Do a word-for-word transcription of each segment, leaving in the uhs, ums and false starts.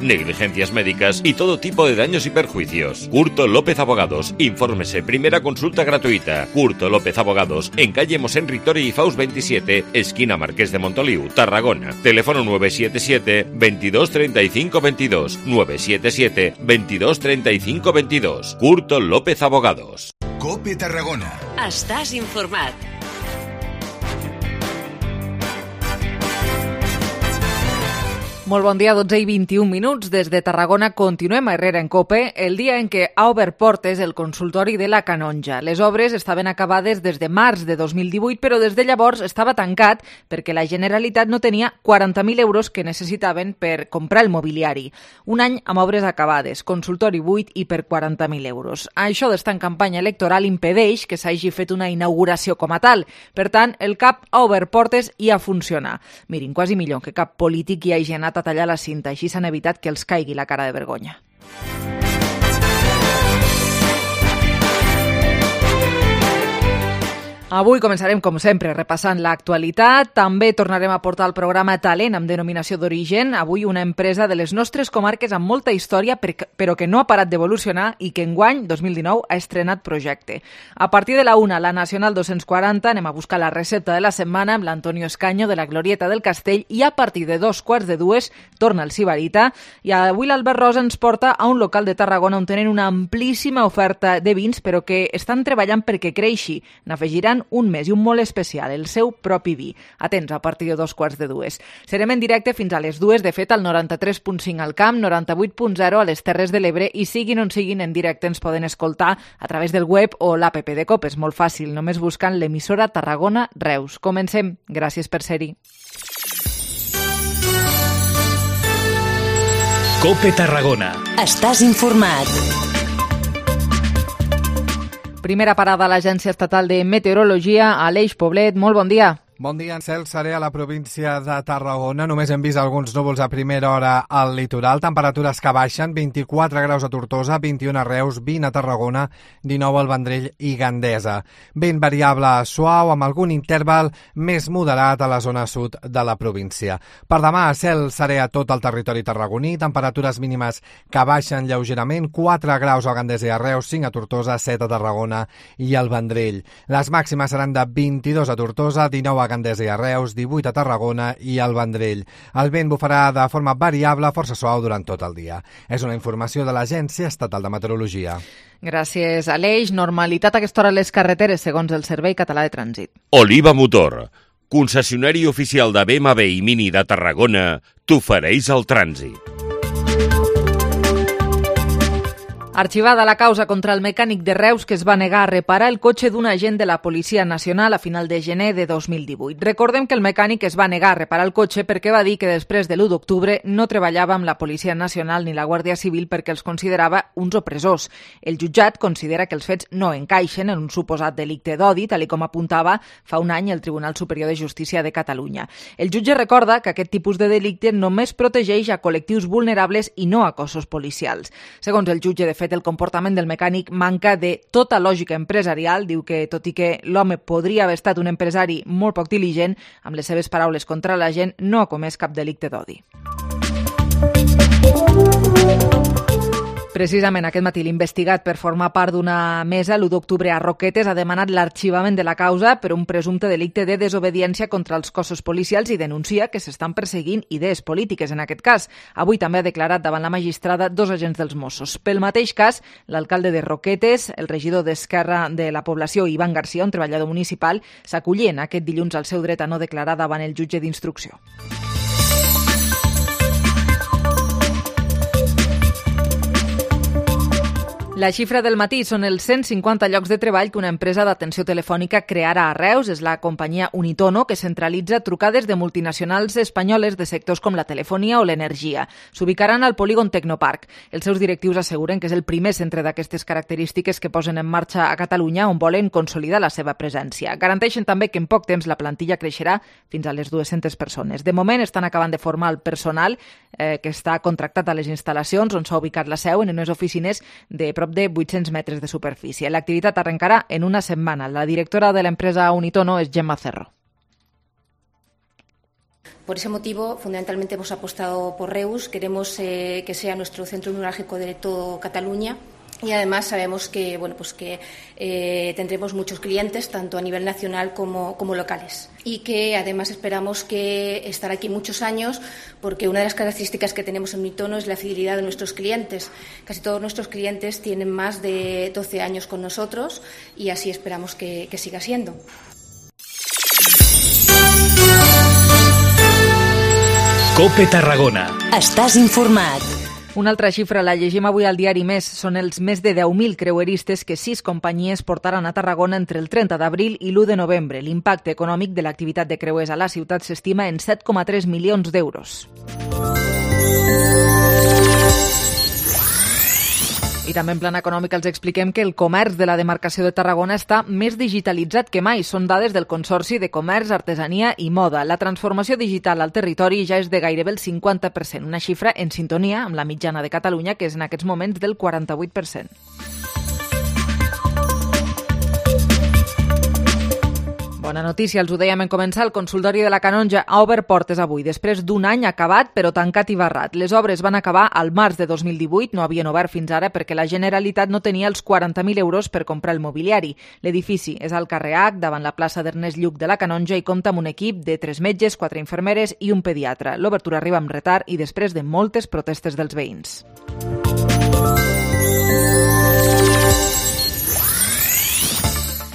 negligencias médicas y todo tipo de daños y perjuicios. Curto López Abogados. Infórmese, primera consulta gratuita. Curto López Abogados, en calle Mosén Ritori y Faust veintisiete, esquina Marqués de Montoliu, Tarragona. Teléfono nueve siete siete, veintidós treinta y cinco veintidós. nueve siete siete, veintidós treinta y cinco veintidós. Curto López Abogados. COPE Tarragona. Estàs informat. Molt bon dia, dotze i vint-i-un minuts. Des de Tarragona continuem a Herrera en Cope, el dia en què ha obert portes el consultori de la Canonja. Les obres estaven acabades des de març de dos mil divuit, però des de llavors estava tancat perquè la Generalitat no tenia quaranta mil euros que necessitaven per comprar el mobiliari. Un any amb obres acabades, consultori buit i per quaranta mil euros. Això d'estar en campanya electoral impedeix que s'hagi fet una inauguració com a tal. Per tant, el C A P ha obert portes i ha funcionat. Mirin, quasi millor que cap polític hi hagi anat a tallar la cinta, així s'han evitat que els caigui la cara de vergonya. Avui començarem, com sempre, repassant l'actualitat. També tornarem a portar el programa Talent amb denominació d'origen. Avui una empresa de les nostres comarques amb molta història, però que no ha parat d'evolucionar i que enguany, dos mil dinou, ha estrenat projecte. A partir de la una, la Nacional dos-cents quaranta, anem a buscar la recepta de la setmana amb l'Antonio Escaño de la Glorieta del Castell i a partir de dos quarts de dues torna el Sibarita. I avui l'Albert Rosa ens porta a un local de Tarragona on tenen una amplíssima oferta de vins, però que estan treballant perquè creixi. N'afegiran un mes i un molt especial, el seu propi vi. Atents, a partir de dos quarts de dues. Serem en directe fins a les dues, de fet, al noranta-tres punt cinc al Camp, noranta-vuit punt zero a les Terres de l'Ebre i siguin on siguin en directe ens poden escoltar a través del web o l'app de COPE. És molt fàcil, només buscant l'emissora Tarragona Reus. Comencem. Gràcies per ser-hi. COPE Tarragona. Estàs informat. Primera parada a l'Agència Estatal de Meteorologia, Aleix Poblet. Molt bon dia. Bon dia, en cel seré a la província de Tarragona. Només hem vist alguns núvols a primera hora al litoral. Temperatures que baixen, vint-i-quatre graus a Tortosa, vint-i-un a Reus, vint a Tarragona, dinou al Vendrell i Gandesa. Vent variable suau amb algun interval més moderat a la zona sud de la província. Per demà, cel seré a tot el territori tarragoní. Temperatures mínimes que baixen lleugerament, quatre graus a Gandesa i a Reus, cinc a Tortosa, set a Tarragona i al Vendrell. Les màximes seran de vint-i-dos a Tortosa, dinou a Gandesa i a Reus, divuit a Tarragona i al Vendrell. El vent bufarà de forma variable, força suau durant tot el dia. És una informació de l'Agència Estatal de Meteorologia. Gràcies, Aleix. Normalitat a aquesta hora a les carreteres, segons el Servei Català de Trànsit. Oliva Motor, concessionari oficial de B M W i Mini de Tarragona, t'ofereix el trànsit. Arxivada la causa contra el mecànic de Reus que es va negar a reparar el cotxe d'un agent de la Policia Nacional a final de gener de dos mil divuit. Recordem que el mecànic es va negar a reparar el cotxe perquè va dir que després de l'u d'octubre no treballava amb la Policia Nacional ni la Guàrdia Civil perquè els considerava uns opressors. El jutjat considera que els fets no encaixen en un suposat delicte d'odi, tal com apuntava fa un any el Tribunal Superior de Justícia de Catalunya. El jutge recorda que aquest tipus de delicte només protegeix a col·lectius vulnerables i no a cossos policials. Segons el jutge, de fet, el comportament del mecànic manca de tota lògica empresarial. Diu que, tot i que l'home podria haver estat un empresari molt poc diligent, amb les seves paraules contra la gent, no ha comès cap delicte d'odi. Precisament aquest matí l'investigat per formar part d'una mesa l'u d'octubre a Roquetes ha demanat l'arxivament de la causa per un presumpte delicte de desobediència contra els cossos policials i denuncia que s'estan perseguint idees polítiques en aquest cas. Avui també ha declarat davant la magistrada dos agents dels Mossos. Pel mateix cas, l'alcalde de Roquetes, el regidor d'Esquerra de la Població, Ivan Garcia, un treballador municipal, s'acollien aquest dilluns al seu dret a no declarar davant el jutge d'instrucció. La xifra del matí són els cent cinquanta llocs de treball que una empresa d'atenció telefònica crearà a Reus. És la companyia Unitono, que centralitza trucades de multinacionals espanyoles de sectors com la telefonia o l'energia. S'ubicaran al polígon Tecnoparc. Els seus directius asseguren que és el primer centre d'aquestes característiques que posen en marxa a Catalunya, on volen consolidar la seva presència. Garanteixen també que en poc temps la plantilla creixerà fins a les dues-centes persones. De moment estan acabant de formar el personal eh, que està contractat a les instal·lacions on s'ha ubicat la seu en unes oficines de prop de vuit-cents metres de superfície. L'activitat arrencarà en una setmana. La directora de l'empresa Unitono és Gemma Cerro. Por ese motivo, fundamentalmente hemos apostado por Reus. Queremos eh, que sea nuestro centro neurálgico de toda Cataluña. Y además sabemos que, bueno, pues que eh, tendremos muchos clientes, tanto a nivel nacional como, como locales. Y que además esperamos que estar aquí muchos años, porque una de las características que tenemos en Unitono es la fidelidad de nuestros clientes. Casi todos nuestros clientes tienen más de doce años con nosotros y así esperamos que, que siga siendo. COPE Tarragona. Estàs informat. Una altra xifra la llegim avui al diari Més. Són els més de deu mil creueristes que sis companyies portaran a Tarragona entre el trenta d'abril i l'u de novembre. L'impacte econòmic de l'activitat de creuers a la ciutat s'estima en set coma tres milions d'euros. I també en plan econòmic els expliquem que el comerç de la demarcació de Tarragona està més digitalitzat que mai. Són dades del Consorci de Comerç, Artesania i Moda. La transformació digital al territori ja és de gairebé el cinquanta per cent, una xifra en sintonia amb la mitjana de Catalunya, que és en aquests moments del quaranta-vuit per cent. Bona notícia, els ho dèiem en començar, el consultori de la Canonja ha obert portes avui, després d'un any acabat però tancat i barrat. Les obres van acabar al març de dos mil divuit, no havien obert fins ara perquè la Generalitat no tenia els quaranta mil euros per comprar el mobiliari. L'edifici és al carrer H, davant la plaça d'Ernest Lluch de la Canonja i compta amb un equip de tres metges, quatre infermeres i un pediatre. L'obertura arriba amb retard i després de moltes protestes dels veïns.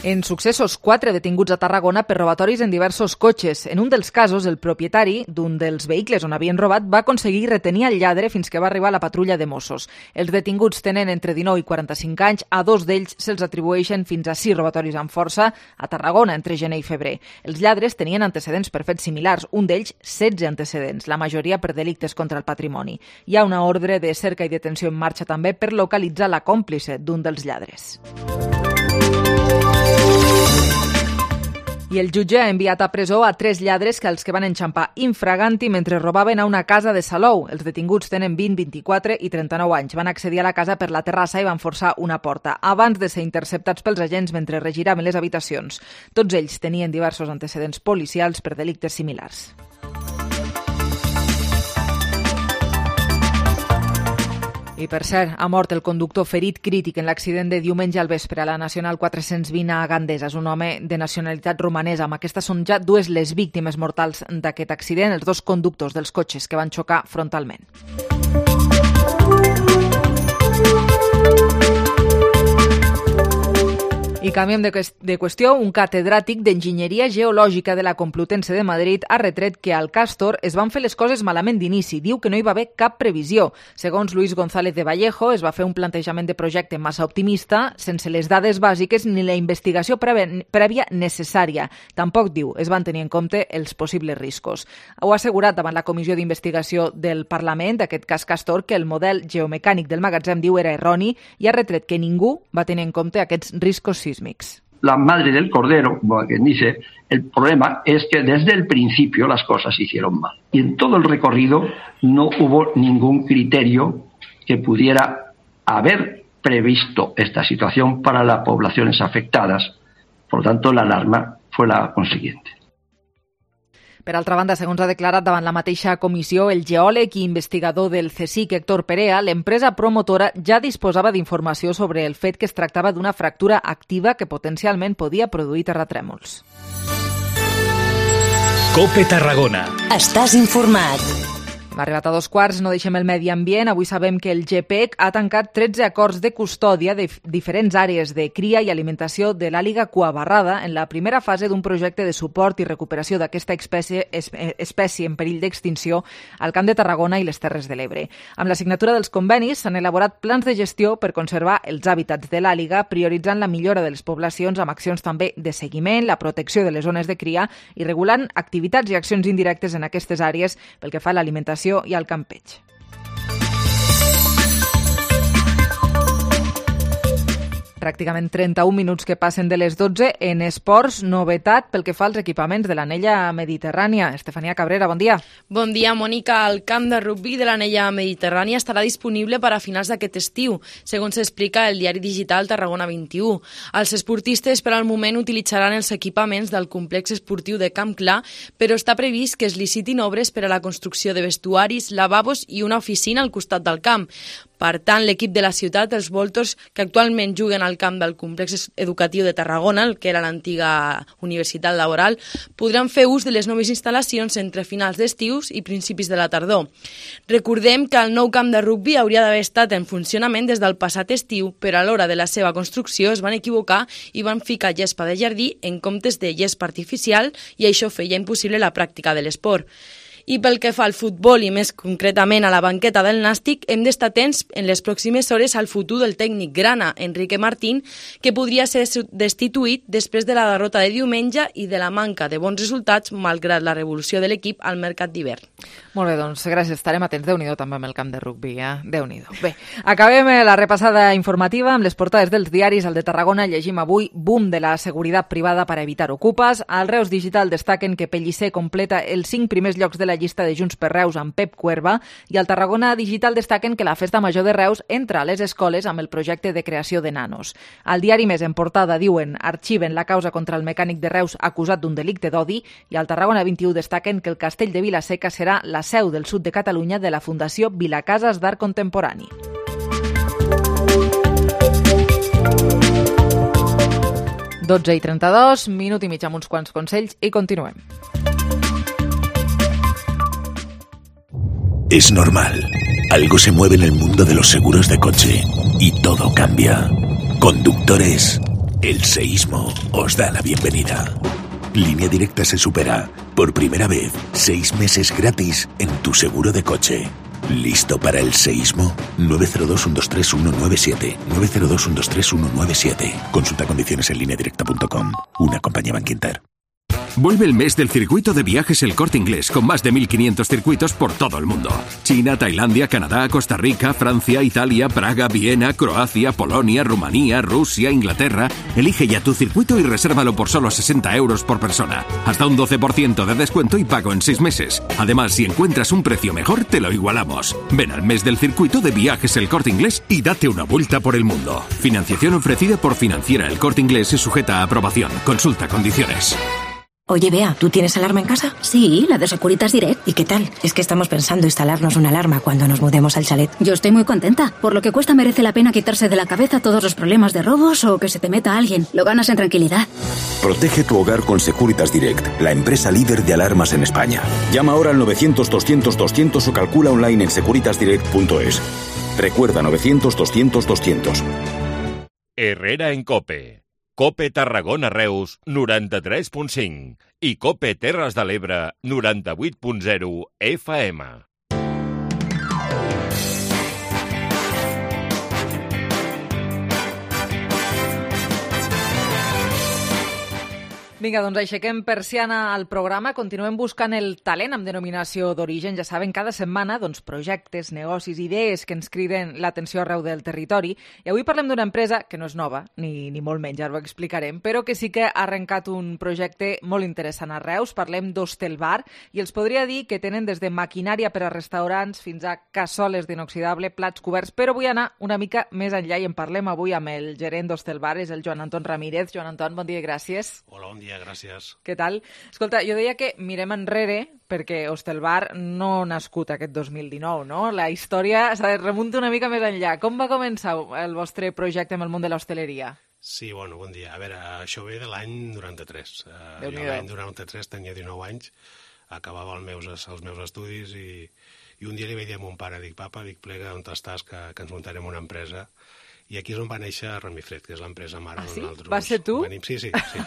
En successos, quatre detinguts a Tarragona per robatoris en diversos cotxes. En un dels casos, el propietari d'un dels vehicles on havien robat va aconseguir retenir el lladre fins que va arribar la patrulla de Mossos. Els detinguts tenen entre dinou i quaranta-cinc anys. A dos d'ells se'ls atribueixen fins a sis robatoris amb força a Tarragona entre gener i febrer. Els lladres tenien antecedents per fets similars, un d'ells setze antecedents, la majoria per delictes contra el patrimoni. Hi ha una ordre de cerca i detenció en marxa també per localitzar la còmplice d'un dels lladres. I el jutge ha enviat a presó a tres lladres que els que van enxampar infraganti mentre robaven a una casa de Salou. Els detinguts tenen vint, vint-i-quatre i trenta-nou anys. Van accedir a la casa per la terrassa i van forçar una porta, abans de ser interceptats pels agents mentre regiraven les habitacions. Tots ells tenien diversos antecedents policials per delictes similars. I per cert, ha mort el conductor ferit crític en l'accident de diumenge al vespre a la Nacional quatre-cents vint a Gandesa. És un home de nacionalitat romanesa. Amb aquestes són ja dues les víctimes mortals d'aquest accident, els dos conductors dels cotxes que van xocar frontalment. I canviem de, de qüestió. Un catedràtic d'Enginyeria Geològica de la Complutense de Madrid ha retret que al Càstor es van fer les coses malament d'inici. Diu que no hi va haver cap previsió. Segons Luis González de Vallejo, es va fer un plantejament de projecte massa optimista, sense les dades bàsiques ni la investigació prèvia necessària. Tampoc, diu, es van tenir en compte els possibles riscos. Ho ha assegurat davant la Comissió d'Investigació del Parlament, d'aquest cas Càstor, que el model geomecànic del magatzem, diu, era erroni i ha retret que ningú va tenir en compte aquests riscos sísmics. La madre del cordero, como quien dice, el problema es que desde el principio las cosas se hicieron mal. Y en todo el recorrido no hubo ningún criterio que pudiera haber previsto esta situación para las poblaciones afectadas. Por lo tanto, la alarma fue la consiguiente. Per altra banda, segons ha declarat davant la mateixa comissió el geòleg i investigador del CSIC, Héctor Perea, l'empresa promotora ja disposava d'informació sobre el fet que es tractava d'una fractura activa que potencialment podia produir terratrèmols. COPE Tarragona. Estàs informat. Hem arribat a dos quarts, no deixem el medi ambient. Avui sabem que el GEPEC ha tancat tretze acords de custòdia de diferents àrees de cria i alimentació de l'àliga cuabarrada en la primera fase d'un projecte de suport i recuperació d'aquesta espècie, espècie en perill d'extinció al Camp de Tarragona i les Terres de l'Ebre. Amb la signatura dels convenis s'han elaborat plans de gestió per conservar els hàbitats de l'àliga, prioritzant la millora de les poblacions amb accions també de seguiment, la protecció de les zones de cria i regulant activitats i accions indirectes en aquestes àrees pel que fa a l'alimentació i al campeig. Pràcticament trenta-un minuts que passen de les dotze. En esports, novetat pel que fa als equipaments de l'anella mediterrània. Estefania Cabrera, bon dia. Bon dia, Mònica. El camp de rugbi de l'anella mediterrània estarà disponible per a finals d'aquest estiu, segons s'explica el diari digital Tarragona vint-i-u. Els esportistes per al moment utilitzaran els equipaments del complex esportiu de Camp Clar, però està previst que es licitin obres per a la construcció de vestuaris, lavabos i una oficina al costat del camp. Per tant, l'equip de la ciutat, els Voltors, que actualment juguen al camp del complex educatiu de Tarragona, el que era l'antiga Universitat Laboral, podran fer ús de les noves instal·lacions entre finals d'estius i principis de la tardor. Recordem que el nou camp de rugbi hauria d'haver estat en funcionament des del passat estiu, però a l'hora de la seva construcció es van equivocar i van ficar gespa de jardí en comptes de gespa artificial i això feia impossible la pràctica de l'esport. I pel que fa al futbol i més concretament a la banqueta del Nàstic, hem d'estar atents en les pròximes hores al futur del tècnic grana, Enrique Martín, que podria ser destituït després de la derrota de diumenge i de la manca de bons resultats malgrat la revolució de l'equip al mercat d'hivern. Molt bé, doncs gràcies. Estarem atents. Déu-n'hi-do també amb el camp de rugbi, eh? Déu-n'hi-do. Bé, acabem la repassada informativa amb les portades dels diaris. Al de Tarragona llegim avui boom de la seguretat privada per evitar ocupes. Al Reus Digital destaquen que Pellicer completa els cinc primers llocs de la llista de Junts per Reus amb Pep Cuerva i al Tarragona Digital destaquen que la Festa Major de Reus entra a les escoles amb el projecte de creació de nanos. Al diari Més en portada diuen arxiven la causa contra el mecànic de Reus acusat d'un delicte d'odi i al Tarragona vint-i-u destaquen que el castell de Vilaseca serà la seu del sud de Catalunya de la Fundació Vilacases d'Art Contemporani. dotze i trenta-dos, minut i mig amb uns quants consells i continuem. Es normal. Algo se mueve en el mundo de los seguros de coche y todo cambia. Conductores, el seísmo os da la bienvenida. Línea Directa se supera. Por primera vez, seis meses gratis en tu seguro de coche. ¿Listo para el seísmo? nueve cero dos, uno dos tres, uno nueve siete. nueve cero dos, uno dos tres, uno nueve siete. Consulta condiciones en línea directa punto com. Una compañía Bankinter. Vuelve el mes del circuito de viajes El Corte Inglés, con más de mil quinientos circuitos por todo el mundo. China, Tailandia, Canadá, Costa Rica, Francia, Italia, Praga, Viena, Croacia, Polonia, Rumanía, Rusia, Inglaterra. Elige ya tu circuito y resérvalo por solo sesenta euros por persona. Hasta un doce por ciento de descuento y pago en seis meses. Además, si encuentras un precio mejor, te lo igualamos. Ven al mes del circuito de viajes El Corte Inglés y date una vuelta por el mundo. Financiación ofrecida por Financiera El Corte Inglés y sujeta a aprobación. Consulta condiciones. Oye, Bea, ¿tú tienes alarma en casa? Sí, la de Securitas Direct. ¿Y qué tal? Es que estamos pensando instalarnos una alarma cuando nos mudemos al chalet. Yo estoy muy contenta. Por lo que cuesta merece la pena quitarse de la cabeza todos los problemas de robos o que se te meta alguien. Lo ganas en tranquilidad. Protege tu hogar con Securitas Direct, la empresa líder de alarmas en España. Llama ahora al novecientos, doscientos, doscientos o calcula online en securitas direct punto es. Recuerda novecientos, doscientos, doscientos. Herrera en COPE. COPE Tarragona Reus noranta-tres punt cinc i COPE Terres de l'Ebre noranta-vuit punt zero F M. Vinga, doncs aixequem persiana al programa, continuem buscant el talent amb denominació d'origen. Ja saben, cada setmana doncs, projectes, negocis, idees que ens criden l'atenció arreu del territori. I avui parlem d'una empresa que no és nova, ni, ni molt menys, ara ho explicarem, però que sí que ha arrencat un projecte molt interessant a Reus. Parlem d'Hostelbar i els podria dir que tenen des de maquinària per a restaurants fins a cassoles d'inoxidable, plats coberts, però vull anar una mica més enllà i en parlem avui amb el gerent d'Hostelbar, és el Joan Anton Ramírez. Joan Anton, bon dia i gràcies. Hola, bon dia. Gràcies. Què tal? Escolta, jo deia que mirem enrere perquè Hostelbar no ha nascut aquest dos mil dinou, no? La història s'ha de remuntar una mica més enllà. Com va començar el vostre projecte amb el món de l'hostaleria? Sí, bueno, bon dia. A veure, això ve de l'any noranta-tres. Uh, jo l'any noranta-tres tenia dinou anys, acabava els meus, els meus estudis i, i un dia li vaig dir a mon pare, dic, papa, dic, plega, on estàs, que, que ens muntarem una empresa. I aquí és on va néixer Remifred, que és l'empresa mare ah, sí? d'on nosaltres... Va ser tu? Venim. Sí, sí, sí.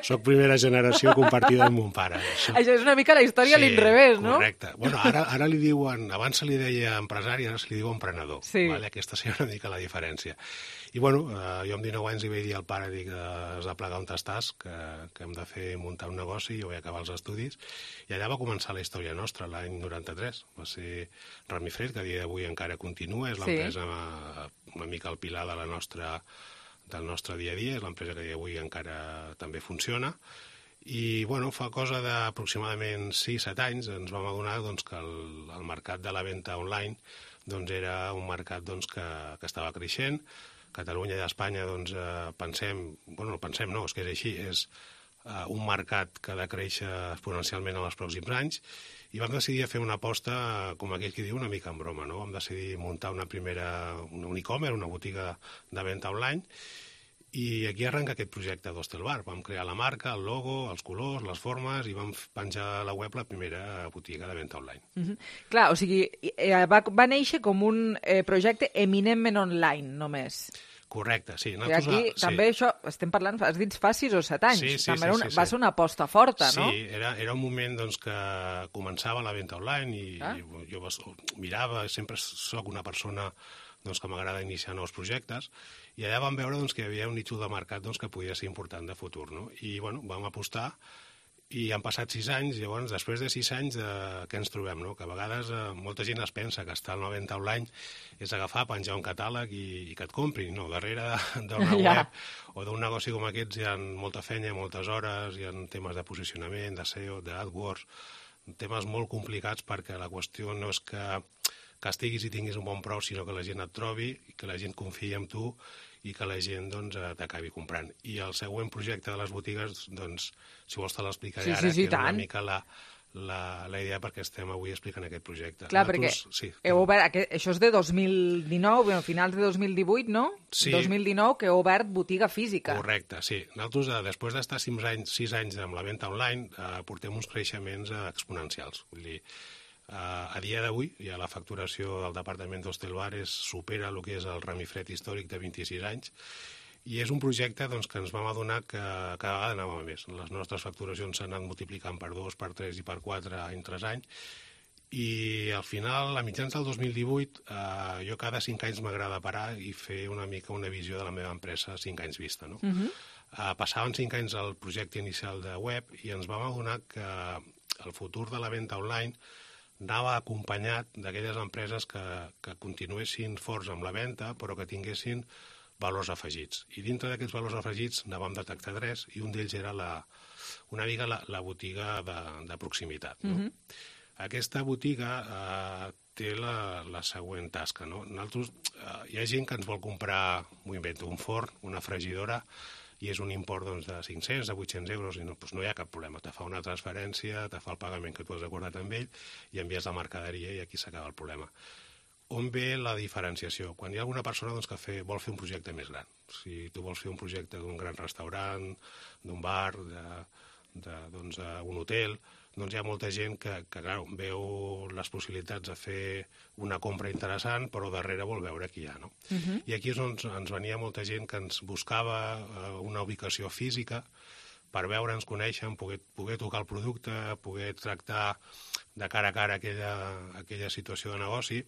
Soc primera generació compartida amb mon pare. Això, això és una mica la història sí, a l'inrevés, no? Correcte. Bueno, ara, ara li diuen... Abans se li deia empresari, ara se li diu emprenedor. Sí. Vale? Aquesta seria una mica la diferència. I bueno, eh, jo amb dinou anys li vaig dir al pare, dic, eh, has de plegar on estàs, que, que hem de fer muntar un negoci, jo vaig acabar els estudis, i allà va començar la història nostra, l'any noranta-tres. Va ser Remifred, que a dia d'avui encara continua, és l'empresa sí. una mica el pilar de la nostra del nostre dia a dia, és l'empresa que avui encara també funciona, i bueno, fa cosa d'aproximadament sis set anys ens vam adonar doncs, que el, el mercat de la venda online doncs, era un mercat doncs, que, que estava creixent. Catalunya i Espanya doncs, eh, pensem, bueno, no pensem, no, és que és així, és eh, un mercat que ha de créixer exponencialment en els pròxims anys, i vam decidir fer una aposta, com aquell que diu, una mica en broma, no? Vam decidir muntar una primera, un e-commerce, una botiga de venda online, i aquí arrenca aquest projecte d'Hostelbar. Vam crear la marca, el logo, els colors, les formes, i vam penjar a la web la primera botiga de venda online. Uh-huh. Clar, o sigui, eh, va, va néixer com un eh, projecte eminentment online, només. Correcte, sí. I aquí sí. sí. també això, estem parlant, has dit fa sis o set anys, sí, sí, també sí, una, sí, va sí. ser una aposta forta, sí, no? Sí, era, era un moment doncs, que començava la venda online i, ah. i jo mirava, sempre sóc una persona doncs, que m'agrada iniciar nous projectes, i allà vam veure doncs, que hi havia un nítol de mercat doncs, que podia ser important de futur, no? I bueno, vam apostar, i han passat sis anys, llavors després de sis anys de... què ens trobem, no? Que a vegades eh, molta gent es pensa que estar en la venda online és agafar, penjar un catàleg i, i que et comprin, no, darrere d'una Ja. web o d'un negoci com aquests hi ha molta feina, moltes hores, hi ha temes de posicionament, de S E O, d'AdWords, temes molt complicats perquè la qüestió no és que que estiguis i tinguis un bon preu, sinó que la gent et trobi, que la gent confiï en tu i que la gent doncs, t'acabi comprant. I el següent projecte de les botigues, doncs, si vols te l'explicaré sí, ara, sí, sí, que és una tant. mica la, la, la idea perquè estem avui explicant aquest projecte. Clar, Nosaltres, perquè sí, heu obert, aquest, això és de dos mil dinou, bueno, finals de dos mil divuit, no? Sí. dos mil dinou, que heu obert botiga física. Correcte, sí. Nosaltres, eh, després d'estar sis anys, sis anys amb la venda online, eh, portem uns creixements eh, exponencials. Vull dir, Uh, a dia d'avui, ja la facturació del departament d'Hostelbar supera el que és el remifred històric de vint-i-sis anys, i és un projecte doncs, que ens vam adonar que cada vegada anàvem a més. Les nostres facturacions s'han anat multiplicant per dos, per tres i per quatre any tras any, i al final, a mitjans del dos mil divuit, uh, jo cada cinc anys m'agrada parar i fer una mica una visió de la meva empresa cinc anys vista, no? Uh-huh. Uh, passaven cinc anys al projecte inicial de web i ens vam adonar que el futur de la venda online anava acompanyat d'aquelles empreses que, que continuessin forts amb la venda, però que tinguessin valors afegits. I dintre d'aquests valors afegits ne vam detectar tres, i un d'ells era la, una mica la, la botiga de, de proximitat. No? Mm-hmm. Aquesta botiga eh, té la, la següent tasca. No? Nosaltres, eh, hi ha gent que ens vol comprar, m'ho invento, un forn, una fregidora, i és un import doncs, de cinc-cents, de vuit-cents euros, i no, doncs no hi ha cap problema. Te fa una transferència, te fa el pagament que tu has acordat amb ell, i envies la mercaderia i aquí s'acaba el problema. On ve la diferenciació? Quan hi ha alguna persona doncs, que fe, vol fer un projecte més gran. Si tu vols fer un projecte d'un gran restaurant, d'un bar, de, de, doncs, un hotel, doncs hi ha molta gent que, que clar, veu les possibilitats de fer una compra interessant, però darrere vol veure qui hi ha. No? Uh-huh. I aquí és on ens venia molta gent que ens buscava uh, una ubicació física per veure'ns, conèixer, poder, poder tocar el producte, poder tractar de cara a cara aquella, aquella situació de negoci.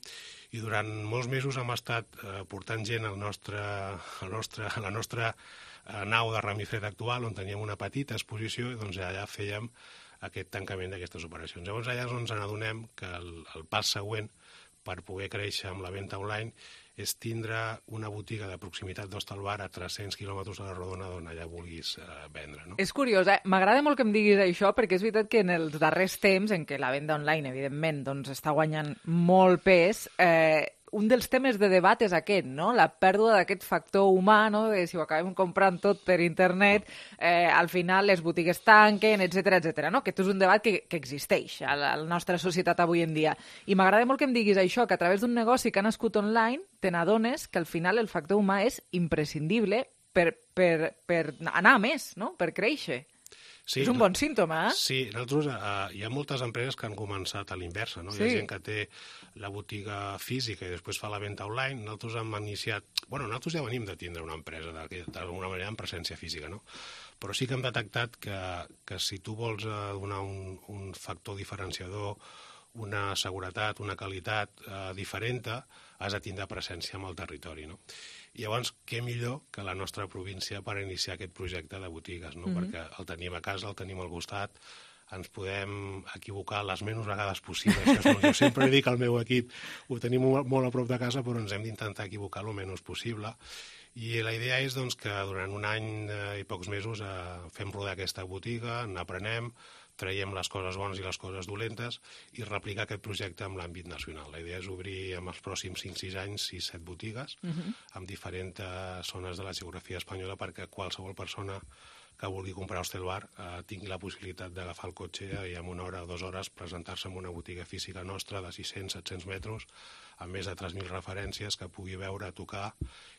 I durant molts mesos hem estat uh, portant gent al nostre, al nostre, a la nostra uh, nau de remifred actual, on teníem una petita exposició, i doncs allà fèiem aquest tancament d'aquestes operacions. Llavors allà és on ens n'adonem que el, el pas següent per poder créixer amb la venda online és tindre una botiga de proximitat d'Hostelbar a tres-cents quilòmetres a la rodona d'on allà vulguis eh, vendre. No? És curiós, eh? M'agrada molt que em diguis això, perquè és veritat que en els darrers temps, en què la venda online, evidentment, doncs, està guanyant molt pes, eh, un dels temes de debat és aquest, no? La pèrdua d'aquest factor humà, no? De si ho acabem comprant tot per internet, eh, al final les botigues tanquen, etcètera, etcètera, no? Aquest és un debat que, que existeix a la, a la nostra societat avui en dia. I m'agrada molt que em diguis això, que a través d'un negoci que ha nascut online te n'adones que al final el factor humà és imprescindible per, per, per anar a més, no? Per créixer. Sí, és un bon símptoma, eh? Sí, nosaltres, uh, hi ha moltes empreses que han començat a l'inversa, no? Sí. Hi ha gent que té la botiga física i després fa la venda online. Nosaltres hem iniciat... Bueno, nosaltres ja venim de tindre una empresa d'alguna manera en presència física, no? Però sí que hem detectat que, que si tu vols uh, donar un, un factor diferenciador, una seguretat, una qualitat eh, diferent, has de tindre presència en el territori, no? I llavors, què millor que la nostra província per iniciar aquest projecte de botigues, no? Mm-hmm. Perquè el tenim a casa, el tenim al costat, ens podem equivocar les menys vegades possibles. Això, jo sempre dic al meu equip, ho tenim molt a prop de casa, però ens hem d'intentar equivocar el menys possible. I la idea és doncs, que durant un any eh, i pocs mesos eh, fem rodar aquesta botiga, n'aprenem, traiem les coses bones i les coses dolentes i replicar aquest projecte en l'àmbit nacional. La idea és obrir en els pròxims cinc sis anys sis set botigues uh-huh. amb diferents zones de la geografia espanyola perquè qualsevol persona que vulgui comprar Hostelbar eh, tingui la possibilitat d'agafar el cotxe i en una hora o dues hores presentar-se en una botiga física nostra de sis-cents a set-cents metres amb més de tres mil referències que pugui veure, tocar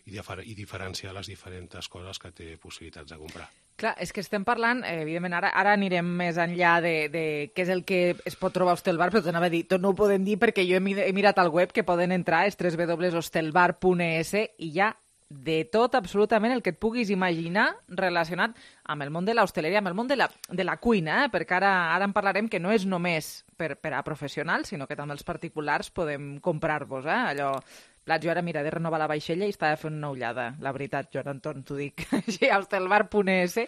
i, difer i diferenciar les diferents coses que té possibilitats de comprar. Clar, és que estem parlant, eh, evidentment, ara, ara anirem més enllà de, de què és el que es pot trobar a Hostelbar, però t'anava a dir, tot no ho podem dir perquè jo he, he mirat al web que poden entrar, és w w w punt hostelbar punt e s i hi ha de tot, absolutament, el que et puguis imaginar relacionat amb el món de l'hostaleria, amb el món de la, de la cuina, eh? Perquè ara, ara en parlarem que no és només per, per a professionals, sinó que també els particulars podem comprar-vos, eh? Allò... Clar, jo ara, mira, de renovar la vaixella i estava fent una ullada, la veritat, Joan Anton, t'ho dic, així, a hostelbar punt e s,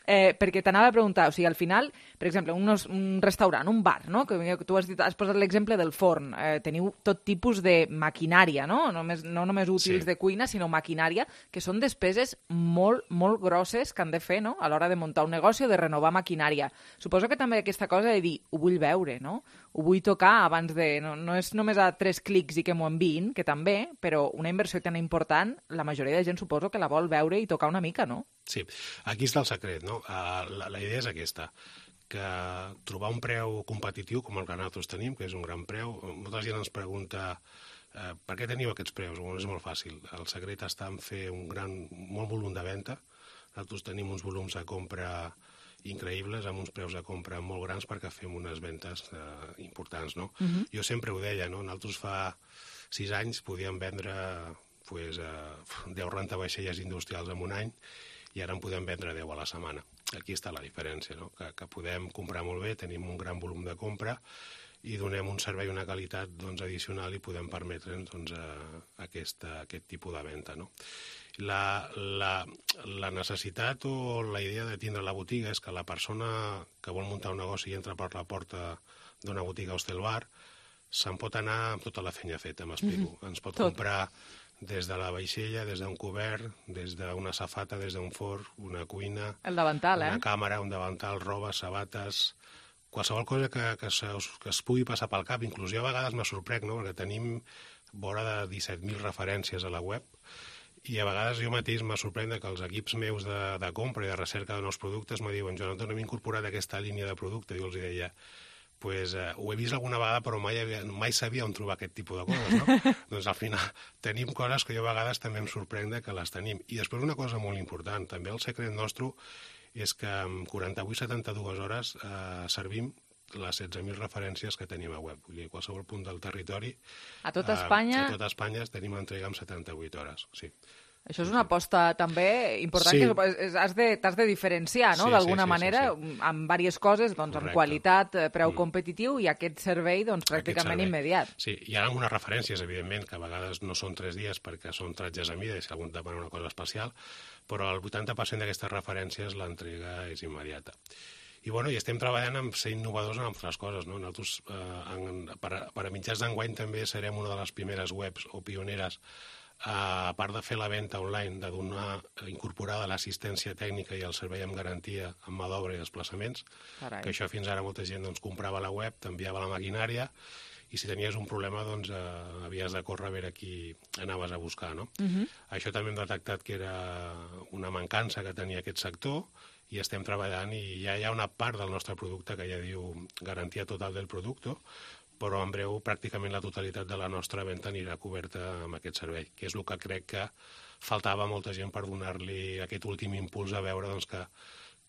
eh, perquè t'anava a preguntar, o sigui, al final, per exemple, unos, un restaurant, un bar, no?, que tu has, dit, has posat l'exemple del forn, eh, teniu tot tipus de maquinària, no?, només, no només útils sí. de cuina, sinó maquinària, que són despeses molt, molt grosses que han de fer, no?, a l'hora de muntar un negoci o de renovar maquinària. Suposo que també aquesta cosa de dir, ho vull veure, no?, ho vull tocar abans de... No, no és només a tres clics i que m'ho enviïn, que també, però una inversió tan important, la majoria de gent suposo que la vol veure i tocar una mica, no? Sí, aquí està el secret, no? Uh, la, la idea és aquesta, que trobar un preu competitiu com el que nosaltres tenim, que és un gran preu, molta gent ens pregunta uh, per què teniu aquests preus? Bueno, és molt fàcil, el secret està en fer un gran, molt volum de venda, nosaltres tenim uns volums de compra increïbles, amb uns preus de compra molt grans perquè fem unes ventes eh, importants, no? Uh-huh. Jo sempre ho deia, no? Nosaltres fa sis anys podíem vendre pues, eh, deu rentavaixelles industrials en un any i ara en podem vendre deu a la setmana. Aquí està la diferència, no? Que, que podem comprar molt bé, tenim un gran volum de compra i donem un servei i una qualitat doncs, addicional i podem permetre'ns doncs, eh, aquesta, aquest tipus de venda, no? La, la, la necessitat o la idea de tindre la botiga és que la persona que vol muntar un negoci i entra per la porta d'una botiga Hostelbar se'n pot anar amb tota la feina feta, m'explico. Mm-hmm. Ens pot Tot. comprar des de la vaixella, des d'un cobert, des d'una safata, des d'un forn, una cuina... El davantal, una eh? càmera, un davantal, roba, sabates... Qualsevol cosa que, que, se, que es pugui passar pel cap. Inclús jo a vegades me sorprèn, no?, perquè tenim vora de disset mil referències a la web i a vegades jo mateix me sorprèn que els equips meus de, de compra i de recerca de nous productes me diuen, Joan, no hem incorporat aquesta línia de producte. Jo els deia, pues, eh, ho he vist alguna vegada però mai, havia, mai sabia on trobar aquest tipus de coses, no? Doncs al final tenim coses que jo a vegades també em sorprèn que les tenim. I després una cosa molt important, també el secret nostre és que en quaranta-vuit a setanta-dues hores eh, servim les setze mil referències que tenim a web. Vull dir, a qualsevol punt del territori... A tot Espanya... Eh, a tot Espanya tenim l'entrega en setanta-vuit hores, sí. Això és una aposta també important, sí. que has de, t'has de diferenciar, no?, sí, d'alguna sí, sí, manera, sí, sí. amb diverses coses, doncs, amb qualitat, preu mm. competitiu i aquest servei, doncs, pràcticament servei. immediat. Sí, hi ha algunes referències, evidentment, que a vegades no són tres dies perquè són tratges a mida i si algú demana una cosa especial, però el vuitanta per cent d'aquestes referències l'entrega és immediata. I, bueno, i estem treballant amb ser innovadors en altres coses, no? Nosaltres, eh, en, per, a, per a mitjans d'enguany també serem una de les primeres webs o pioneres, eh, a part de fer la venda online, de donar incorporada l'assistència tècnica i el servei amb garantia amb mà d'obra i desplaçaments, Carai. que això fins ara molta gent doncs, comprava la web, t'enviava la maquinària i si tenies un problema doncs eh, havies de córrer a veure qui anaves a buscar, no? Uh-huh. Això també hem detectat que era una mancança que tenia aquest sector i estem treballant i ja hi ha una part del nostre producte que ja diu garantia total del producte, però en breu pràcticament la totalitat de la nostra venda anirà coberta amb aquest servei, que és el que crec que faltava a molta gent per donar-li aquest últim impuls a veure doncs, que,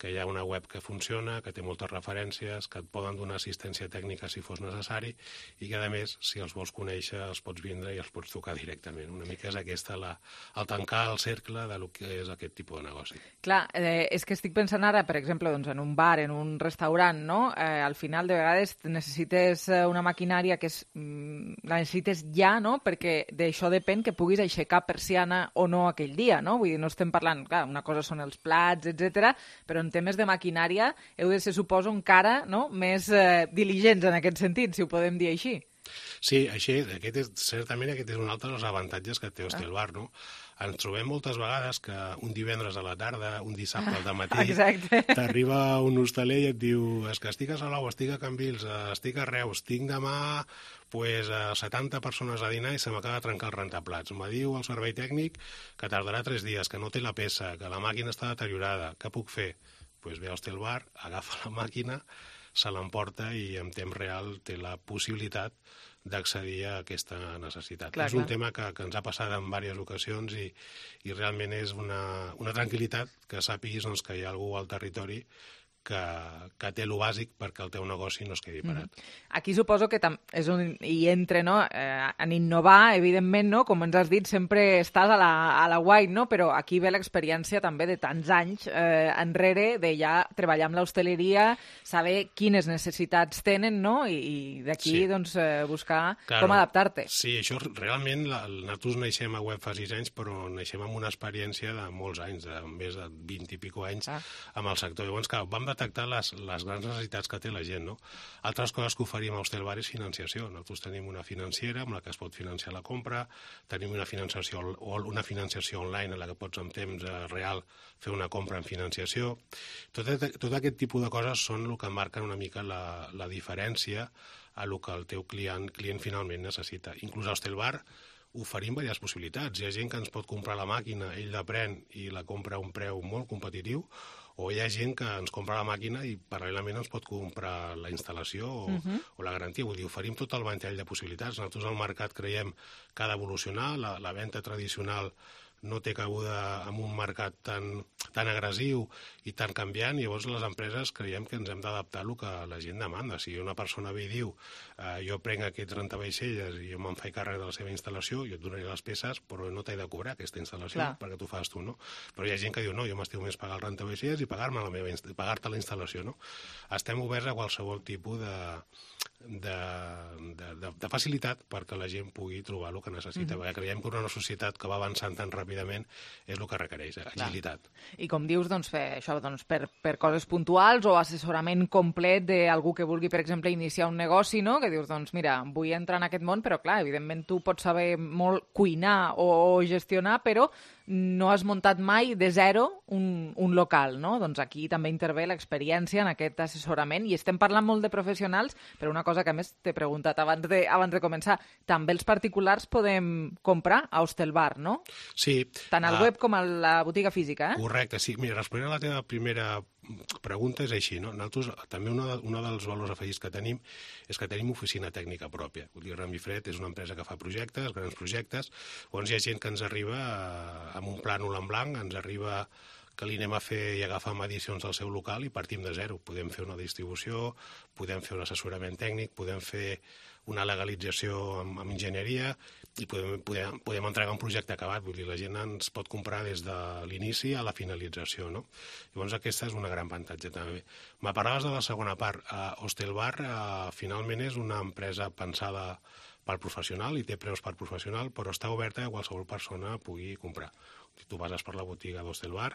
que hi ha una web que funciona, que té moltes referències, que et poden donar assistència tècnica si fos necessari i que, a més, si els vols conèixer, els pots vindre i els pots tocar directament. Una mica és aquesta la, el tancar el cercle de lo que és aquest tipus de negoci. Clar, eh, és que estic pensant ara, per exemple, doncs, en un bar, en un restaurant, no? Eh, al final, de vegades, necessites una maquinària que és, la necessites ja, no? Perquè d'això depèn que puguis aixecar persiana o no aquell dia, no? Vull dir, no estem parlant, clar, una cosa són els plats, etcètera, però en temes de maquinària heu de ser, suposo, encara no? més eh, diligents en aquest sentit, si ho podem dir així. Sí, així, aquest és, certament aquest és un altre dels avantatges que té Hostelbar, no? Ens trobem moltes vegades que un divendres a la tarda, un dissabte al matí, t'arriba un hostaler i et diu és que estic a Salou, estic a Cambrils, estic a Reus, tinc demà pues, setanta persones a dinar i se m'acaba de trencar el rentaplats. Me diu el servei tècnic que tardarà tres dies, que no té la peça, que la màquina està deteriorada. Què puc fer? Pues ve a Hostelbar, agafa la màquina, se l'emporta i en temps real té la possibilitat d'accedir a aquesta necessitat. Clar, és un clar. tema que, que ens ha passat en diverses ocasions i, i realment és una, una tranquil·litat que sàpiguis doncs, que hi ha algú al territori que, que té lo bàsic perquè el teu negoci no es quedi parat. Mm. Aquí suposo que tam és on hi entra, no? Eh, en innovar, evidentment, no? Com ens has dit, sempre estàs a la, a la white, no? Però aquí ve l'experiència també de tants anys eh, enrere, de ja treballar amb l'hostaleria, saber quines necessitats tenen, no? I, i d'aquí, Sí. doncs, eh, buscar Claro. com adaptar-te. Sí, això realment, la, nosaltres naixem a web fa sis anys, però naixem amb una experiència de molts anys, de més de vint i pico anys Ah. amb el sector. Llavors, clar, vam detectar les, les grans necessitats que té la gent, no? Altres coses que oferim a Hostelbar és financiació. Nosaltres tenim una financera amb la que es pot financiar la compra, tenim una financiació, o una financiació online en la que pots en temps eh, real fer una compra en financiació. Tot, tot aquest tipus de coses són el que marquen una mica la, la diferència a el que el teu client, client finalment necessita. Inclús a Hostelbar oferim diverses possibilitats. Hi ha gent que ens pot comprar la màquina, ell la pren i la compra a un preu molt competitiu, o hi ha gent que ens compra la màquina i paral·lelament ens pot comprar la instal·lació o, Mhm. o la garantia. Vull dir, oferim tot el ventall de possibilitats. Nosaltres al mercat creiem que ha d'evolucionar, la, la venda tradicional no té cabuda en un mercat tan, tan agressiu i tan canviant, i llavors les empreses creiem que ens hem d'adaptar al que la gent demanda. Si una persona ve i diu eh, jo prenc aquests rentavaixelles i jo me'n faig càrrec de la seva instal·lació, jo et donaré les peces, però no t'he de cobrar aquesta instal·lació Clar. perquè tu fas tu, no? Però hi ha gent que diu no, jo m'estiu més pagar el rentavaixelles i pagar-me la meva inst- pagar-te la instal·lació, no? Estem oberts a qualsevol tipus de, de, de, de, de facilitat perquè la gent pugui trobar el que necessita, Mhm. perquè creiem que una societat que va avançant tan ràpidament és el que requereix, eh? Agilitat. I com dius, doncs, fer això doncs, per, per coses puntuals o assessorament complet d'algú que vulgui, per exemple, iniciar un negoci, no? Que dius, doncs, mira, vull entrar en aquest món, però, clar, evidentment tu pots saber molt cuinar o, o gestionar, però no has muntat mai de zero un, un local, no? Doncs aquí també intervé l'experiència en aquest assessorament i estem parlant molt de professionals, però una cosa que a més t'he preguntat abans de, abans de començar, també els particulars podem comprar a Hostelbar, no? Sí. Tant al ah, web com a la botiga física, eh? Correcte, sí. Mira, responent a la teva primera pregunta és així, no? Nosaltres, també un de, dels valors afegits que tenim és que tenim oficina tècnica pròpia. Vull dir, Remifred és una empresa que fa projectes, grans projectes, on hi ha gent que ens arriba eh, amb un plànol en blanc, ens arriba que li anem a fer i agafar medicions del seu local i partim de zero. Podem fer una distribució, podem fer un assessorament tècnic, podem fer una legalització amb, amb enginyeria i podem, podem, podem entregar un projecte acabat. Vull dir, la gent ens pot comprar des de l'inici a la finalització, no? Llavors aquesta és una gran avantatge també. Me parlaves de la segona part. Uh, Hostelbar uh, finalment és una empresa pensada pel professional i té preus per professional, però està oberta a qualsevol persona pugui comprar. Si tu passes per la botiga d'Hostelbar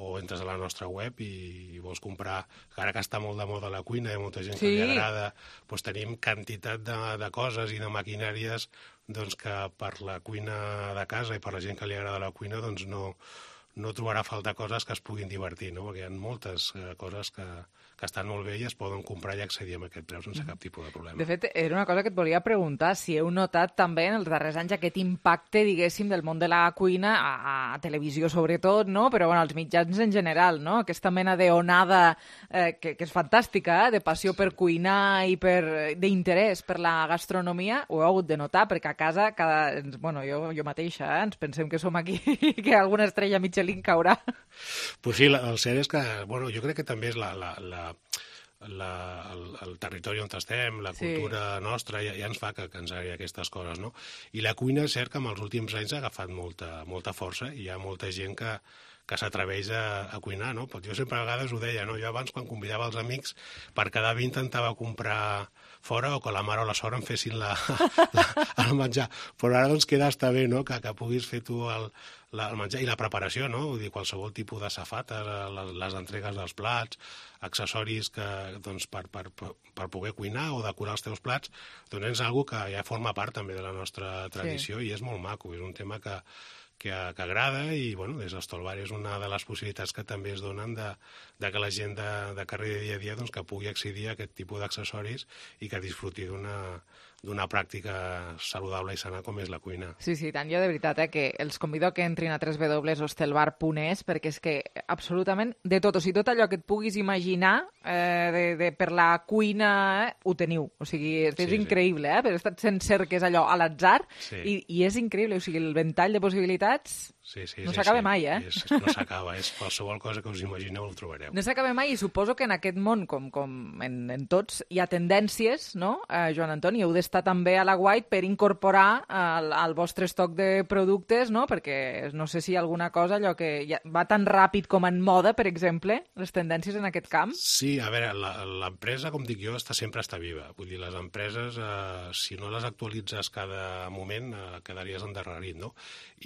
o entres a la nostra web i, i vols comprar, ara que està molt de moda la cuina, hi ha molta gent Sí. que li agrada, doncs tenim quantitat de, de coses i de maquinàries doncs, que per la cuina de casa i per la gent que li agrada la cuina doncs no, no trobarà falta coses que es puguin divertir, no? Perquè hi ha moltes eh, coses que, que estan molt bé i es poden comprar i accedir a aquest preu sense cap tipus de problema. De fet, era una cosa que et volia preguntar, si heu notat també en els darrers anys aquest impacte, diguéssim, del món de la cuina, a, a televisió sobretot, no? Però bueno, als mitjans en general, no? Aquesta mena d'onada eh, que, que és fantàstica, eh? De passió per cuinar i per d'interès per la gastronomia, ho heu hagut de notar, perquè a casa, cada, bueno, jo, jo mateixa, eh? Ens pensem que som aquí i que alguna estrella Michelin caurà. Pues sí, la, el cert és que, bueno, jo crec que també és la, la, la, la, el, el territori on estem, la Sí. cultura nostra, ja, ja ens fa que, que ens agradi aquestes coses, no? I la cuina és cert que en els últims anys ha agafat molta, molta força i hi ha molta gent que, que s'atreveix a, a cuinar, no? Però jo sempre a vegades ho deia, no? Jo abans, quan convidava els amics, per cada vi intentava comprar fora o que la mare o la sora em fessin la, la, el menjar. Però ara doncs queda està bé, no?, que, que puguis fer tu el, la, el menjar i la preparació, no? Vull dir, qualsevol tipus de safates, les, les entregues dels plats, accessoris que, doncs, per, per, per poder cuinar o decorar els teus plats, doncs és una cosa que ja forma part també de la nostra tradició, sí. I és molt maco, és un tema que, que, que agrada i, bueno, des d'Stolbar és una de les possibilitats que també es donen de, de que la gent de, de carrer de dia a dia doncs, que pugui accedir a aquest tipus d'accessoris i que disfruti d'una d'una pràctica saludable i sana com és la cuina. Sí, sí, tant. Jo de veritat, eh, que els convido que entrin a w w w punt hostelbar punt es perquè és que absolutament de tot, o sigui, tot allò que et puguis imaginar eh, de, de, per la cuina eh, ho teniu. O sigui, és, és sí, increïble, sí. eh? Però he estat sent cerques allò a l'atzar sí. i, i és increïble, o sigui, el ventall de possibilitats sí, sí, no sí, s'acaba sí. mai, eh? És, no s'acaba, és qualsevol cosa que us imagineu el trobareu. No s'acaba mai i suposo que en aquest món, com, com en, en tots, hi ha tendències, no, eh, Joan Antoni? Heu d'estar també a la White per incorporar al, al vostre estoc de productes, no? Perquè no sé si hi ha alguna cosa allò que ja va tan ràpid com en moda, per exemple, les tendències en aquest camp. Sí, a veure, l'empresa, com dic jo, està sempre està viva. Vull dir, les empreses, eh, si no les actualitzes cada moment, eh, quedaries endarrerit, no?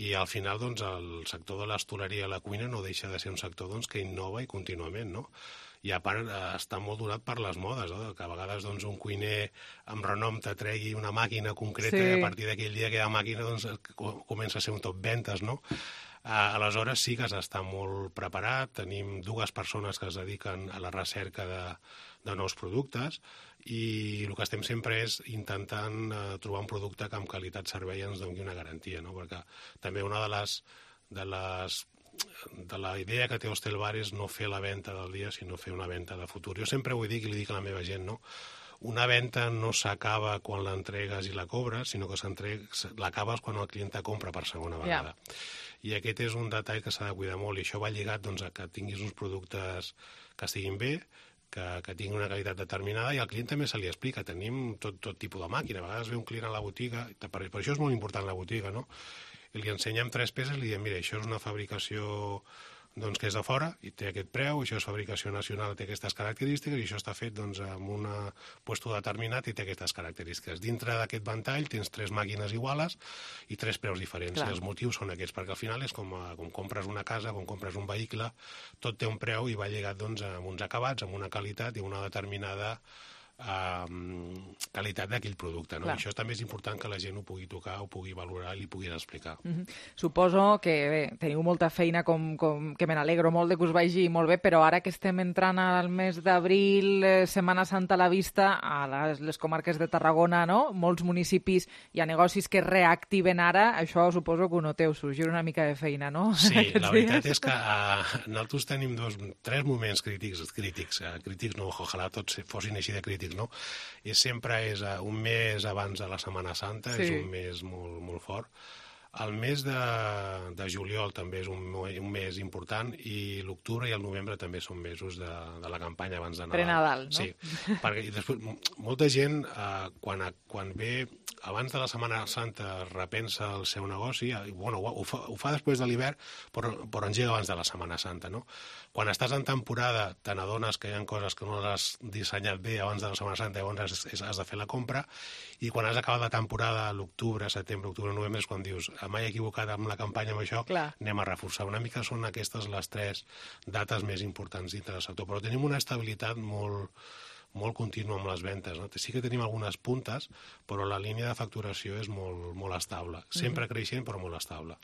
I al final, doncs, el sector de l'hostaleria i la cuina no deixa de ser un sector doncs, que innova i contínuament, no? I a part està molt donat per les modes, no? Que a vegades doncs, un cuiner amb renom te tregui una màquina concreta sí. I a partir d'aquell dia aquella màquina doncs, comença a ser un top ventes, no? Aleshores sí que has d'estar molt preparat, tenim dues persones que es dediquen a la recerca de, de nous productes i el que estem sempre és intentant eh, trobar un producte que amb qualitat-servei ens doni una garantia, no? Perquè també una de les, de les de la idea que té Hostelbar és no fer la venda del dia, sinó fer una venda de futur. Jo sempre ho dic i li dic a la meva gent, no? Una venda no s'acaba quan l'entregues i la cobres, sinó que l'acabes quan el client te compra per segona vegada. Yeah. I aquest és un detall que s'ha de cuidar molt i això va lligat doncs, a que tinguis uns productes que estiguin bé, que, que tinguin una qualitat determinada i al client també se li explica. Tenim tot, tot tipus de màquina. A vegades ve un client a la botiga, per, per això és molt important la botiga, no? I li ensenyem tres peces i li diem, mira, això és una fabricació doncs, que és de fora i té aquest preu, això és fabricació nacional, té aquestes característiques i això està fet doncs, amb un puesto determinat i té aquestes característiques. Dintre d'aquest ventall tens tres màquines iguales i tres preus diferents. Clar. I els motius són aquests, perquè al final és com, com compres una casa, com compres un vehicle, tot té un preu i va lligat doncs, amb uns acabats, amb una qualitat i una determinada Um, qualitat d'aquell producte, no? I això també és important que la gent ho pugui tocar, ho pugui valorar i li puguis explicar. Mm-hmm. Suposo que bé, teniu molta feina, com, com, que me n'alegro molt de que us vagi molt bé, però ara que estem entrant al mes d'abril, eh, Setmana Santa a la vista, a les, les comarques de Tarragona, no? Molts municipis hi ha negocis que reactiven ara, això suposo que ho noteu, sorgir una mica de feina, no? Sí, la veritat dies? és que uh, nosaltres tenim dos, tres moments crítics, crítics, uh, crítics no, ojalà tots fossin així de crítics, no? I sempre és uh, un mes abans de la Setmana Santa, sí. És un mes molt, molt fort. El mes de, de juliol també és un, un mes important i l'octubre i el novembre també són mesos de, de la campanya abans de Nadal. Pre-Nadal, no? Sí, perquè i després, molta gent, eh, quan, quan ve abans de la Setmana Santa repensa el seu negoci, i, bueno, ho fa, ho fa després de l'hivern, però, però engega abans de la Setmana Santa, no? Quan estàs en temporada te n'adones que hi ha coses que no les has dissenyat bé abans de la Setmana Santa, llavors has, has de fer la compra, i quan has acabat la temporada, l'octubre, setembre, octubre, novembre, és quan dius m'he equivocat amb la campanya amb això, clar. Anem a reforçar. Una mica són aquestes les tres dates més importants dintre del sector, però tenim una estabilitat molt, molt contínua amb les ventes, no? Sí que tenim algunes puntes, però la línia de facturació és molt, molt estable. Sempre mm-hmm. creixent, però molt estable.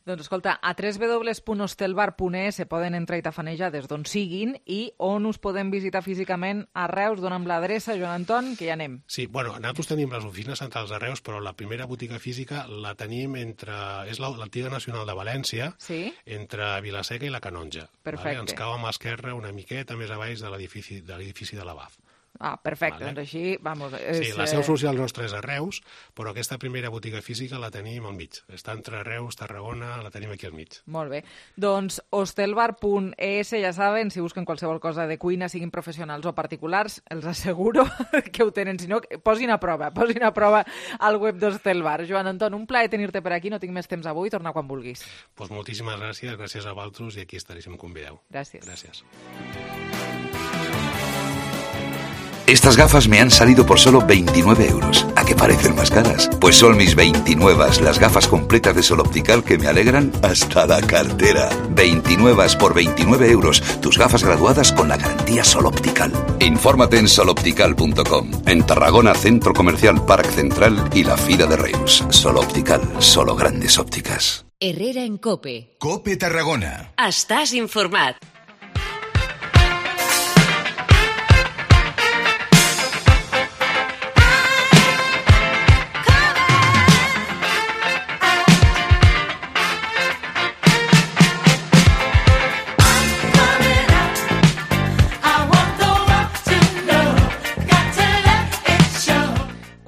Doncs escolta, a w w w punt hostelbar punt es se poden entrar i tafanejar des d'on siguin i on us podem visitar físicament a Reus, dona'm l'adreça, Joan Anton, que ja anem. Sí, bueno, nosaltres tenim les oficines centrals a Reus, però la primera botiga física la tenim entre... és l'Antiga Nacional de València, sí? Entre Vilaseca i la Canonja. Perfecte. Vale? Ens cau a mà esquerra una miqueta més avall de l'edifici de l'edifici de l'Abaf. Ah, perfecte, vale. Doncs així, vamos... És, sí, la seu social nostra és a Reus, però aquesta primera botiga física la tenim al mig. Està entre Reus, Tarragona, la tenim aquí al mig. Molt bé. Doncs hostelbar punt es, ja saben, si busquen qualsevol cosa de cuina, siguin professionals o particulars, els asseguro que ho tenen. Si no, posin a prova, posin a prova al web d'Hostelbar. Joan Anton, un plaer tenir-te per aquí, no tinc més temps avui, torna quan vulguis. Pues moltíssimes gràcies, gràcies a vosaltres i aquí estaré si em convideu. Gràcies. Gràcies. Estas gafas me han salido por solo veintinueve euros. ¿A qué parecen más caras? Pues son mis veintinuevas, las gafas completas de Sol Optical que me alegran hasta la cartera. veintinuevas por veintinueve euros. Tus gafas graduadas con la garantía Sol Optical. Infórmate en sol optical punto com. En Tarragona, Centro Comercial Parc Central y la Fira de Reus. Sol Optical, solo grandes ópticas. Herrera en COPE. COPE Tarragona. Estàs informat.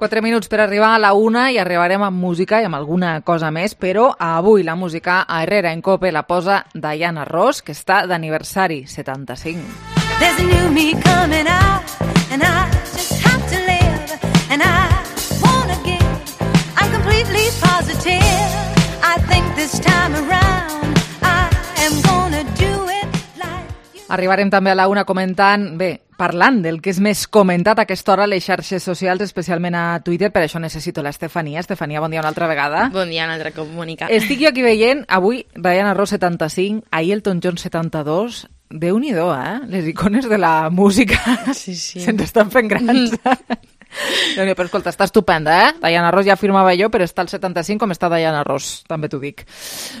Quatre minuts per arribar a la una i arribarem amb música i amb alguna cosa més, però avui la música a Herrera en COPE la posa Diana Ross, que està d'aniversari, setanta-cinc. There's a new me coming out and I just have to live and I wanna give. I'm completely positive. I think this time around I am gonna do it like you. Arribarem també a la una comentant, bé, parlant del que és més comentat a aquesta hora a les xarxes socials, especialment a Twitter, per això necessito l'Estefania. Estefania, bon dia una altra vegada. Bon dia una altra cop, Mònica. Estic jo aquí veient, avui, Diana Ross setanta-cinc, ahir Elton John setanta-dos, Déu-n'hi-do, eh? Les icones de la música sí, sí. se'ns estan fent grans. Déu-n'hi-do, però escolta, està estupenda, eh? Diana Ross ja afirmava jo, però està al setanta-cinc com està Diana Ross, també t'ho dic.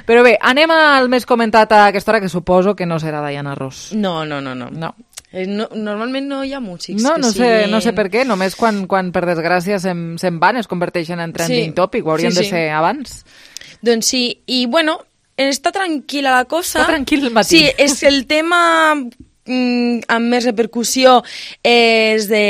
Però bé, anem al més comentat a aquesta hora, que suposo que no serà Diana Ross. No, no, no, no. No. No, normalment no hi ha músics no, que no sé, siguin... no sé per què, només quan, quan per desgràcia se'n, se'n van, es converteixen en trending sí. topic, ho haurien sí, sí. de ser abans. Doncs sí, i bueno, està tranquil·la la cosa. Està tranquil el matí. Sí, és el tema mm, amb més repercussió és de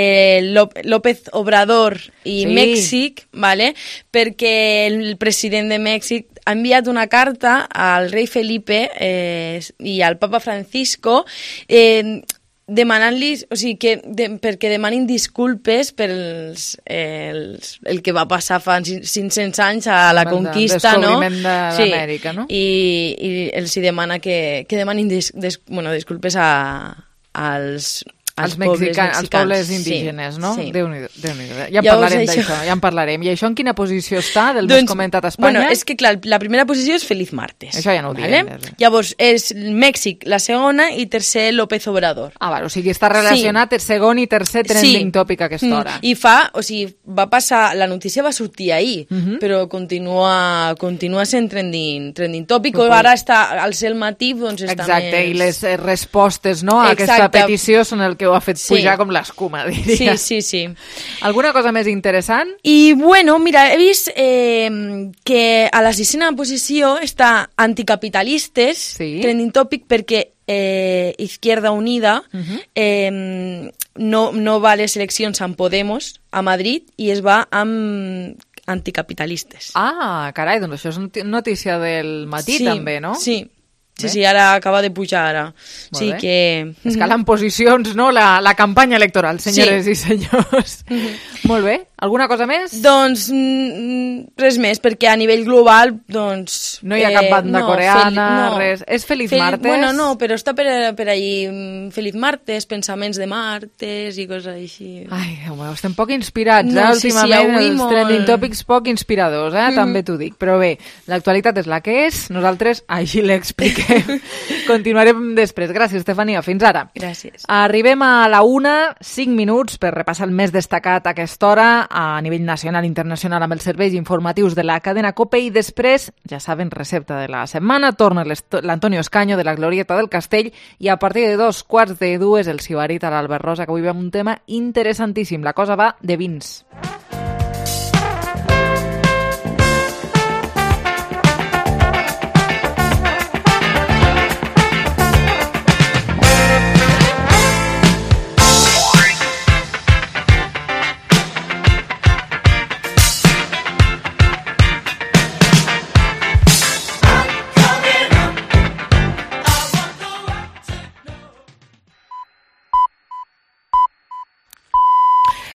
López Obrador i sí. Mèxic, vale? Perquè el president de Mèxic ha enviat una carta al rei Felipe eh, i al papa Francisco eh, demanant-los, o sigui, que de, perquè demanin disculpes per els, els, el que va passar fa cinc-cents anys a la el conquista, no? El descobriment d'Amèrica, sí. no? I, i els hi demana que, que demanin dis, des, bueno, disculpes a, als... Els, mexicans, els pobles indígenes, sí, no? Sí. Déu-n'hi-do, Déu-n'hi-do. Ja en ja parlarem això... d'això, ja en parlarem. I això en quina posició està, del doncs, més comentat a Espanya? Bueno, és que clar, la primera posició és Feliz Martes. Això ja no ho vale? diem. Llavors, és Mèxic la segona i tercer López Obrador. Ah, vale, o sigui, està relacionat sí. el segon i tercer trending sí. topic a aquesta hora. Mm. I fa, o sigui, va passar, la notícia va sortir ahir, uh -huh. però continua, continua sent trending, trending topic, o ara està al cel matí, doncs està Exacte, més... i les eh, respostes no, a Exacte. aquesta petició són el que ho ha fet sí. pujar com l'escuma, diria. Sí, sí, sí. Alguna cosa més interessant? I, bueno, mira, he vist eh, que a la sisena posició està anticapitalistes, sí. trending topic, perquè eh, Izquierda Unida uh-huh. eh, no, no va a les eleccions amb Podemos a Madrid i es va amb anticapitalistes. Ah, carai, doncs això és notícia del matí sí, també, no? Sí, Sí, sí, ara acaba de pujar ara. Molt sí bé. que... Escalant posicions, no?, la, la campanya electoral, senyores sí. i senyors. Mm-hmm. Molt bé. Alguna cosa més? Doncs mm, res més, perquè a nivell global, doncs... No hi ha cap banda eh, no, coreana, fel, no. res. És Feliz fel, Martes? Bueno, no, però està per, per allí Feliz Martes, pensaments de martes i coses així. Ai, home, estem poc inspirats, no, eh? Sí, Últimament sí, els molt... trending topics poc inspiradors, eh? Mm. També t'ho dic. Però bé, l'actualitat és la que és, nosaltres així l'expliquem. Continuarem després. Gràcies, Estefania. Fins ara. Gràcies. Arribem a la una, cinc minuts per repassar el més destacat a aquesta hora a nivell nacional i internacional amb els serveis informatius de la cadena COPE i després, ja saben, recepta de la setmana, torna l'Antonio Escaño de la Glorieta del Castell i a partir de dos quarts de dues el Sibarit a l'Albert Rosa, que avui veiem un tema interessantíssim. La cosa va de vins.